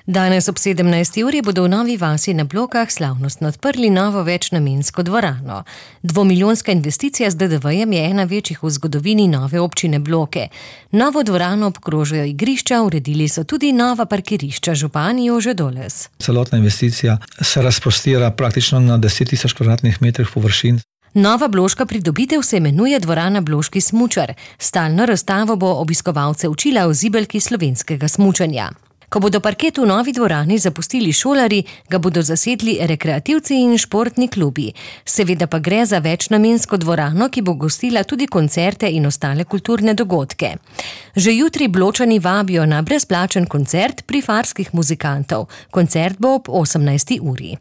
Danes ob 17. uri bodo v Novi vasi na Blokah slavnostno odprli novo večnamensko dvorano. 2-milijonska investicija z DDV-jem je ena večjih v zgodovini nove občine Bloke. Novo dvorano obkrožajo igrišča, uredili so tudi nova parkirišča, župan Jože Doles. Celotna investicija se razprostira praktično na 10.000 kvadratnih metrih površin. Nova bloška pridobitev se imenuje dvorana Bloški smučar. Stalno razstavo bo obiskovalce učila o zibelki slovenskega smučanja. Ko bodo parket v novi dvorani zapustili šolarji, ga bodo zasedli rekreativci in športni klubi. Seveda pa gre za večnamensko dvorano, ki bo gostila tudi koncerte in ostale kulturne dogodke. Že jutri Bločani vabijo na brezplačen koncert Prifarskih muzikantov. Koncert bo ob 18. uri.